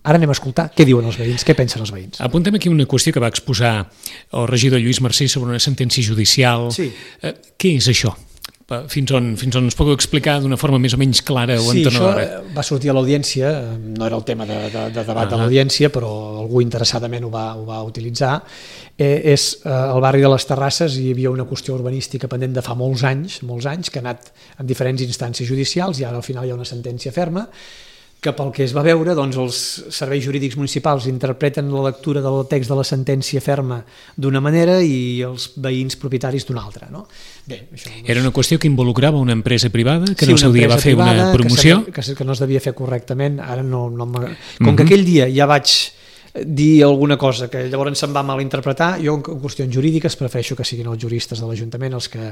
ara anem a escoltar què diuen els veïns, què pensen els veïns. Apuntem aquí una qüestió que va exposar el regidor Lluís Mercè sobre una sentència judicial. Sí. Què és això? Fins on ens puc explicar d'una forma més o menys clara o entenedora? Sí, això va sortir a l'audiència, no era el tema de debat de l'audiència, però algú interessadament ho va utilitzar. És al barri de les Terrasses hi havia una qüestió urbanística pendent de fa molts anys, que ha anat en diferents instàncies judicials i ara al final hi ha una sentència ferma que pel que es va veure, els serveis jurídics municipals interpreten la lectura del text de la sentència ferma d'una manera i els veïns propietaris d'una altra. Bé, això era una qüestió que involucrava una empresa privada que en el seu dia va fer una promoció? Que no es devia fer correctament. Ara com que aquell dia ja vaig dir alguna cosa que llavors se'n va malinterpretar. Jo en qüestions jurídiques prefereixo que siguin els juristes de l'Ajuntament els que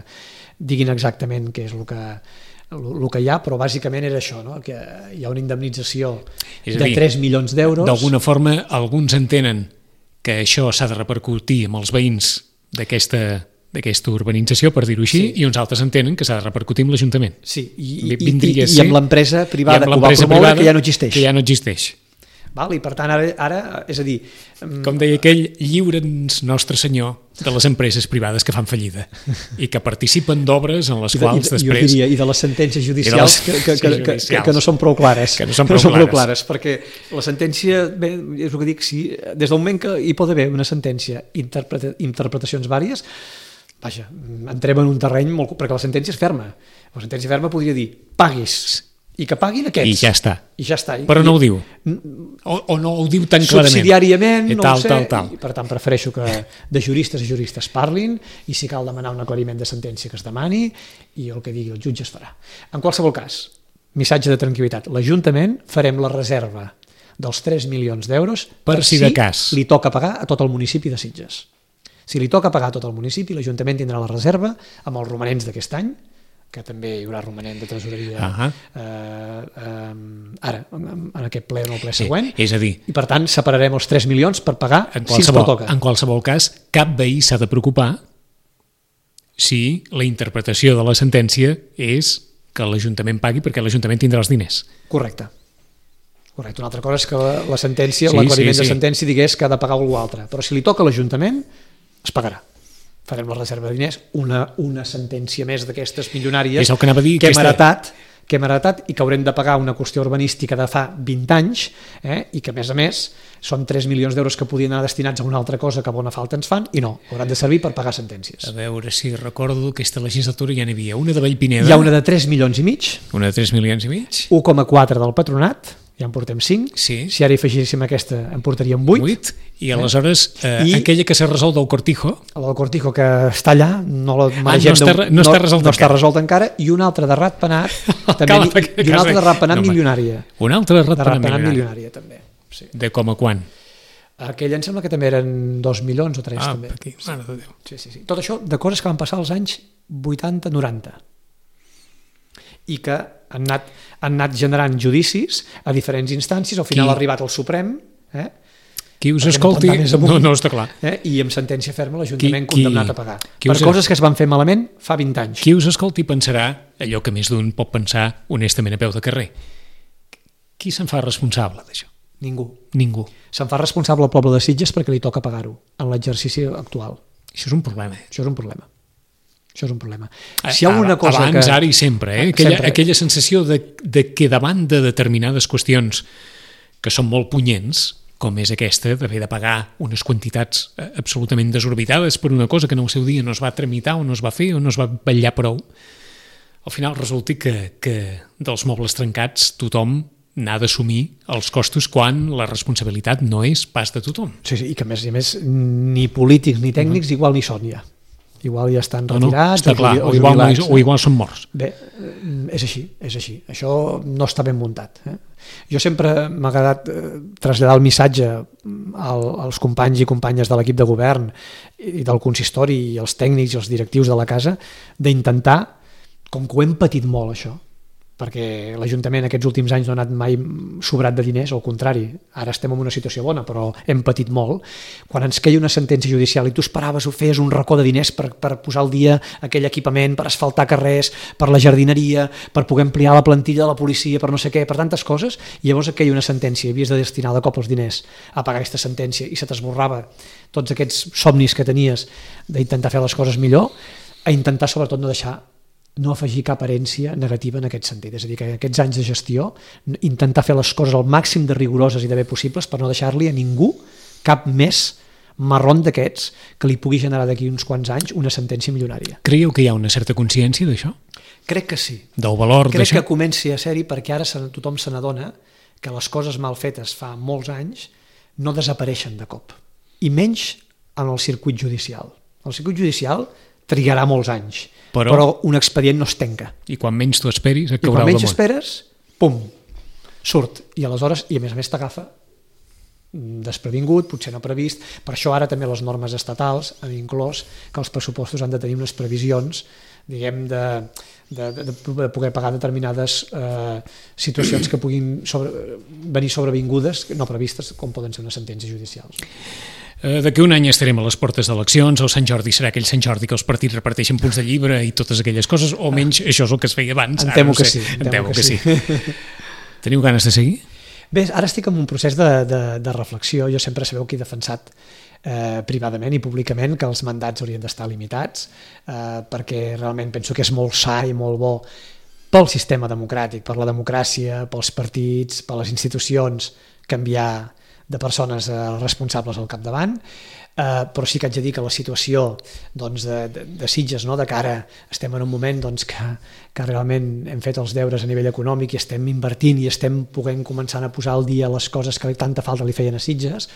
diguin exactament què és el que hi ha, però bàsicament era això, no? Que hi ha una indemnització de 3 milions d'euros. D'alguna forma, alguns entenen que això s'ha de repercutir amb els veïns d'aquesta urbanització, per dir-ho així, i uns altres entenen que s'ha de repercutir amb l'Ajuntament. Sí, i amb l'empresa privada que ho va promoure, que ja no existeix. Que ja no existeix. Val? I per tant, ara, és a dir... Com deia aquell, lliure'ns Nostre Senyor de les empreses privades que fan fallida i que participen d'obres en les quals després... Jo diria, i de les sentències judicials que no són prou clares. Que no són prou clares. Perquè la sentència, bé, és el que dic, si des del moment que hi pot haver una sentència, interpretacions vàries, vaja, entrem en un terreny molt... perquè la sentència és ferma. La sentència ferma podria dir, paguis, i que paguin aquests. I ja està. Però no ho diu. O no ho diu tan clarament. Subsidiàriament, no ho sé. Tal. I per tant, prefereixo que de juristes a juristes parlin, i si cal demanar un aclariment de sentència que es demani, i el que digui el jutge es farà. En qualsevol cas, missatge de tranquil·litat. L'Ajuntament farem la reserva dels 3 milions d'euros per si de cas li toca pagar a tot el municipi de Sitges. Si li toca pagar a tot el municipi, l'Ajuntament tindrà la reserva amb els romanents d'aquest any, que també hi haurà romanent de tresoreria ara, en aquest ple o en el ple següent. És a dir, i per tant separarem els 3 milions per pagar si ens pertoca. En qualsevol cas, cap veí s'ha de preocupar si la interpretació de la sentència és que l'Ajuntament pagui perquè l'Ajuntament tindrà els diners. Correcte. Una altra cosa és que la sentència, l'aclariment de sentència digués que ha de pagar algú altre, però si li toca a l'Ajuntament es pagarà. Farem la reserva de diners, una sentència més d'aquestes milionàries que hem heretat i que haurem de pagar una qüestió urbanística de fa 20 anys, i que a més són 3 milions d'euros que podien anar destinats a una altra cosa que bona falta ens fan, i no, hauran de servir per pagar sentències. A veure si recordo, aquesta legislatura ja n'hi havia una de Vallpineda. Hi ha una de 3 milions i mig. Una de 3 milions i mig. 1,4 del Patronat, ja en portem 5, si ara hi afegíssim aquesta en portaríem 8, i aleshores aquella que s'ha resolt del Cortijo, la del Cortijo que està allà, no la maregem, no està resolt encara, i una altra de Ratpenat i una altra de Ratpenat milionària, una altra de Ratpenat milionària també, sí. De com a quan? Aquella em sembla que també eren 2 milions o 3 també. Aquí, mare de Déu. Sí. Tot això de coses que van passar als anys 80-90 i que han anat generant judicis a diferents instàncies, al final ha arribat al Suprem, qui us escolti, no està clar, i amb sentència ferma l'Ajuntament condemnat a pagar per coses que es van fer malament fa 20 anys. Qui us escolti pensarà allò que més d'un pot pensar honestament a peu de carrer. Qui se'n fa responsable d'això? Ningú. Se'n fa responsable el poble de Sitges perquè li toca pagar-ho en l'exercici actual. Això és un problema. Això és un problema. Si hi ha alguna cosa abans, ara i sempre, aquella sensació de que davant de determinades qüestions que són molt punyents, com és aquesta, d'haver de pagar unes quantitats absolutament desorbitades per una cosa que en el seu dia no es va tramitar o no es va fer o no es va vetllar prou, al final resulta que dels mobles trencats tothom n'ha d'assumir els costos quan la responsabilitat no és pas de tothom. Sí, i que a més ni polítics ni tècnics igual ni són ja. Igual ja estan retirats o igual són morts. Bé, és així. Això no està ben muntat. Jo sempre m'ha agradat traslladar el missatge als companys i companyes de l'equip de govern i del consistori i els tècnics i els directius de la casa d'intentar, com que ho hem patit molt això, perquè l'Ajuntament aquests últims anys no ha anat mai sobrat de diners, al contrari, ara estem en una situació bona, però hem patit molt. Quan ens queia una sentència judicial i tu esperaves o feies un racó de diners per posar al dia aquell equipament, per asfaltar carrers, per la jardineria, per poder ampliar la plantilla de la policia, per no sé què, per tantes coses, i llavors et queia una sentència i havies de destinar de cop els diners a pagar aquesta sentència i se t'esborrava tots aquests somnis que tenies d'intentar fer les coses millor, a intentar sobretot no afegir cap herència negativa en aquest sentit. És a dir, que aquests anys de gestió intentar fer les coses al màxim de rigoroses i de bé possibles per no deixar-li a ningú cap més marrón d'aquests que li pugui generar d'aquí uns quants anys una sentència milionària. Creieu que hi ha una certa consciència d'això? Crec que sí. Del valor d'això? Crec que comenci a ser-hi perquè ara tothom se n'adona que les coses mal fetes fa molts anys no desapareixen de cop. I menys en el circuit judicial. El circuit judicial trigarà molts anys, però un expedient no es tanca. I quan menys t'ho esperis, et caurà al damunt. I quan menys esperes, pum, surt. I aleshores, i a més t'agafa desprevingut, potser no previst. Per això ara també les normes estatals han inclòs que els pressupostos han de tenir unes previsions, diguem, de poder pagar determinades situacions que puguin venir sobrevingudes, no previstes, com poden ser unes sentències judicials. D'aquí un any estarem a les portes d'eleccions, el Sant Jordi serà aquell Sant Jordi que els partits reparteixen punts de llibre i totes aquelles coses, o menys això és el que es feia abans. Em temo que sí. Teniu ganes de seguir? Bé, ara estic en un procés de reflexió. Jo sempre sabeu que he defensat privadament i públicament que els mandats haurien d'estar limitats, perquè realment penso que és molt sa i molt bo pel sistema democràtic, per la democràcia, pels partits, per les institucions, canviar de persones responsables al capdavant, però sí que haig de dir que la situació de Sitges, de cara estem en un moment que realment hem fet els deures a nivell econòmic i estem invertint i estem podent començar a posar al dia les coses que tanta falta li feien a Sitges,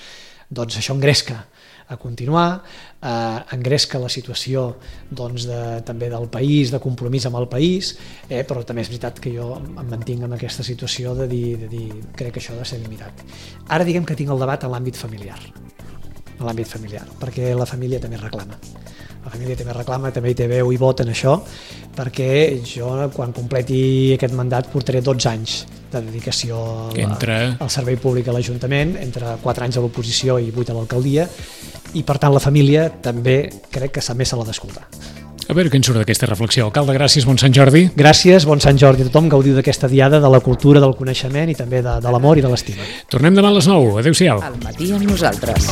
doncs això engresca a continuar, engresca la situació també del país, de compromís amb el país, però també és veritat que jo em mantinc en aquesta situació de dir crec que això ha de ser limitat. Ara diguem que tinc el debat en l'àmbit familiar, perquè la família també reclama. La família també reclama, també hi té veu i vot en això, perquè jo, quan completi aquest mandat, portaré 12 anys de dedicació al servei públic a l'Ajuntament, entre 4 anys a l'oposició i 8 a l'alcaldia, i per tant la família també crec que també se l'ha d'escoltar. A veure què en surt d'aquesta reflexió. Alcalde, gràcies, bon Sant Jordi. Gràcies, bon Sant Jordi a tothom. Gaudiu d'aquesta diada de la cultura, del coneixement i també de l'amor i de l'estima. Tornem demà a les 9. Adéu-siau. Al matí amb nosaltres.